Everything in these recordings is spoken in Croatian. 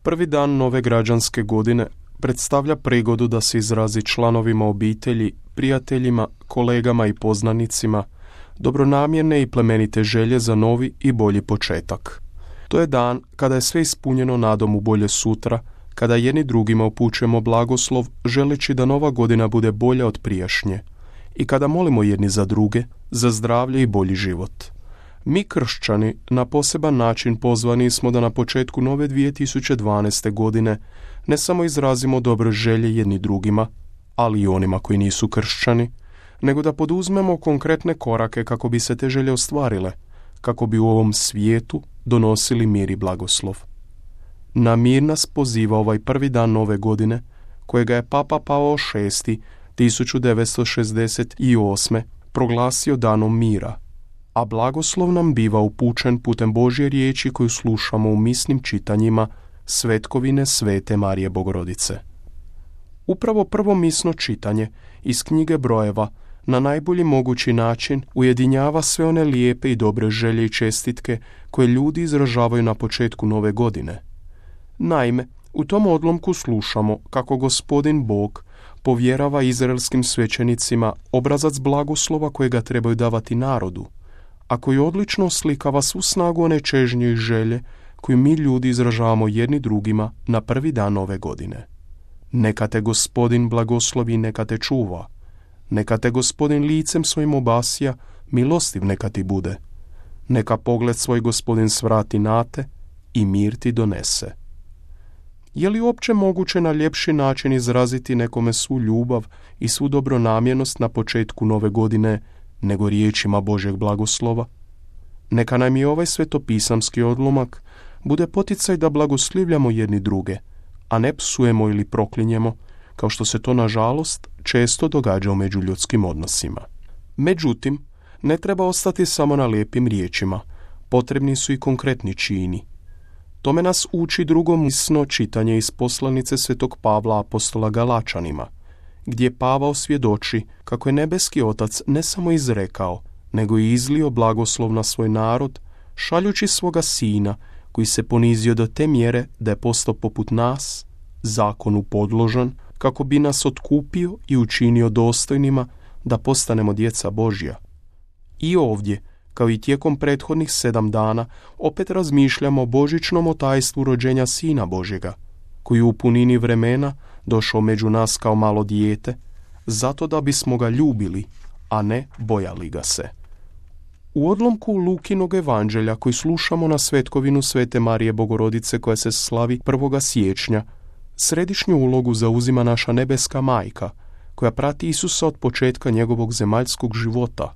Prvi dan nove građanske godine predstavlja prigodu da se izrazi članovima obitelji, prijateljima, kolegama i poznanicima dobronamjerne i plemenite želje za novi i bolji početak. To je dan kada je sve ispunjeno nadom u bolje sutra, kada jedni drugima upućujemo blagoslov želeći da nova godina bude bolja od prijašnje i kada molimo jedni za druge, za zdravlje i bolji život. Mi kršćani na poseban način pozvani smo da na početku nove 2012. godine ne samo izrazimo dobre želje jedni drugima, ali i onima koji nisu kršćani, nego da poduzmemo konkretne korake kako bi se te želje ostvarile, kako bi u ovom svijetu donosili mir i blagoslov. Na mir nas poziva ovaj prvi dan nove godine, kojega je Papa Pavao VI 1968. proglasio danom mira, a blagoslov nam biva upućen putem Božje riječi koju slušamo u misnim čitanjima Svetkovine Svete Marije Bogorodice. Upravo prvo misno čitanje iz knjige Brojeva na najbolji mogući način ujedinjava sve one lijepe i dobre želje i čestitke koje ljudi izražavaju na početku nove godine. Naime, u tom odlomku slušamo kako Gospodin Bog povjerava izraelskim svećenicima obrazac blagoslova kojega trebaju davati narodu, a koji odlično oslikava svu snagu one čežnje i želje koju mi ljudi izražavamo jedni drugima na prvi dan nove godine. Neka te Gospodin blagoslovi i neka te čuva. Neka te Gospodin licem svojim obasja, milostiv neka ti bude. Neka pogled svoj Gospodin svrati na te i mir ti donese. Je li uopće moguće na ljepši način izraziti nekome svu ljubav i svu dobronamjernost na početku nove godine nego riječima Božjeg blagoslova? Neka nam i ovaj svetopisamski odlomak bude poticaj da blagoslivljamo jedni druge, a ne psujemo ili proklinjemo, kao što se to nažalost često događa u međuljudskim odnosima. Međutim, ne treba ostati samo na lijepim riječima, potrebni su i konkretni čini. Tome nas uči drugo misno čitanje iz poslanice Svetog Pavla apostola Galačanima, gdje Pavao svjedoči kako je nebeski Otac ne samo izrekao, nego i izlio blagoslov na svoj narod, šaljući svoga Sina, koji se ponizio do te mjere da je postao poput nas, zakonu podložan, kako bi nas otkupio i učinio dostojnima da postanemo djeca Božja. I ovdje, kao i tijekom prethodnih 7 dana, opet razmišljamo o božićnom tajstvu rođenja Sina Božjega, koji u punini vremena došao među nas kao malo dijete, zato da bismo ga ljubili, a ne bojali ga se. U odlomku Lukinog evanđelja koji slušamo na Svetkovinu Svete Marije Bogorodice koja se slavi 1. siječnja, središnju ulogu zauzima naša nebeska majka, koja prati Isusa od početka njegovog zemaljskog života.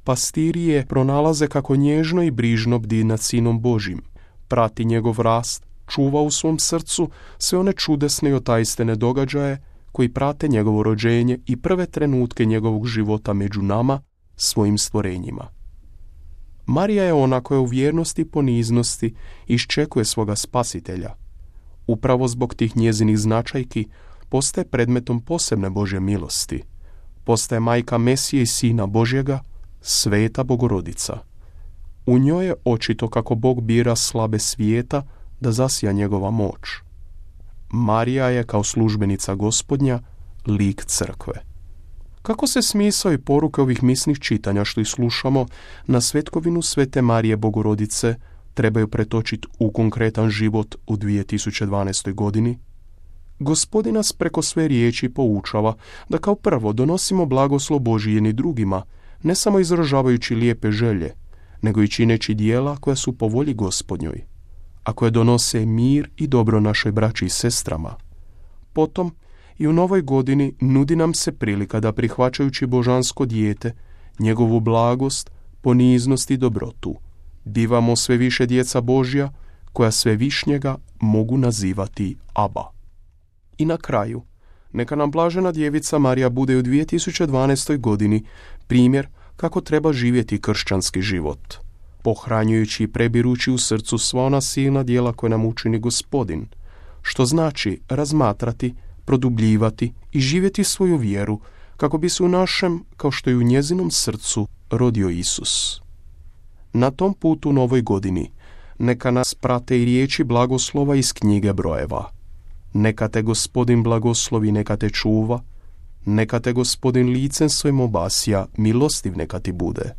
Pastiri je pronalaze kako nježno i brižno bdi nad Sinom Božjim, prati njegov rast, čuva u svom srcu sve one čudesne i otajstvene događaje koji prate njegovo rođenje i prve trenutke njegovog života među nama, svojim stvorenjima. Marija je ona koja u vjernosti i poniznosti iščekuje svoga spasitelja. Upravo zbog tih njezinih značajki postaje predmetom posebne Božje milosti. Postaje majka Mesije i Sina Božjega, Sveta Bogorodica. U njoj je očito kako Bog bira slabe svijeta da zasija njegova moć. Marija je kao službenica Gospodnja lik crkve. Kako se smisao i poruke ovih misnih čitanja što ih slušamo na Svetkovinu Svete Marije Bogorodice trebaju pretočiti u konkretan život u 2012. godini? Gospodin nas preko sve riječi poučava da kao prvo donosimo blagoslov Božji jedni drugima, ne samo izražavajući lijepe želje, nego i čineći dijela koja su po volji Gospodnjoj, a koje donose mir i dobro našoj braći i sestrama. Potom, i u novoj godini nudi nam se prilika da prihvaćajući božansko dijete, njegovu blagost, poniznost i dobrotu, bivamo sve više djeca Božja, koja sve višnjega mogu nazivati Aba. I na kraju, neka nam blažena djevica Marija bude u 2012. godini primjer kako treba živjeti kršćanski život, pohranjujući i prebirući u srcu sva ona silna djela koje nam učini Gospodin, što znači razmatrati, produbljivati i živjeti svoju vjeru kako bi se u našem, kao što i u njezinom srcu, rodio Isus. Na tom putu u novoj godini Neka nas prate i riječi blagoslova iz knjige brojeva. Neka te Gospodin blagoslovi, neka te čuva, neka te Gospodin licem svojim obasja, milostiv neka ti bude.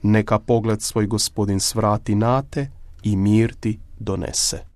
Neka pogled svoj Gospodin svrati na te i mir ti donese.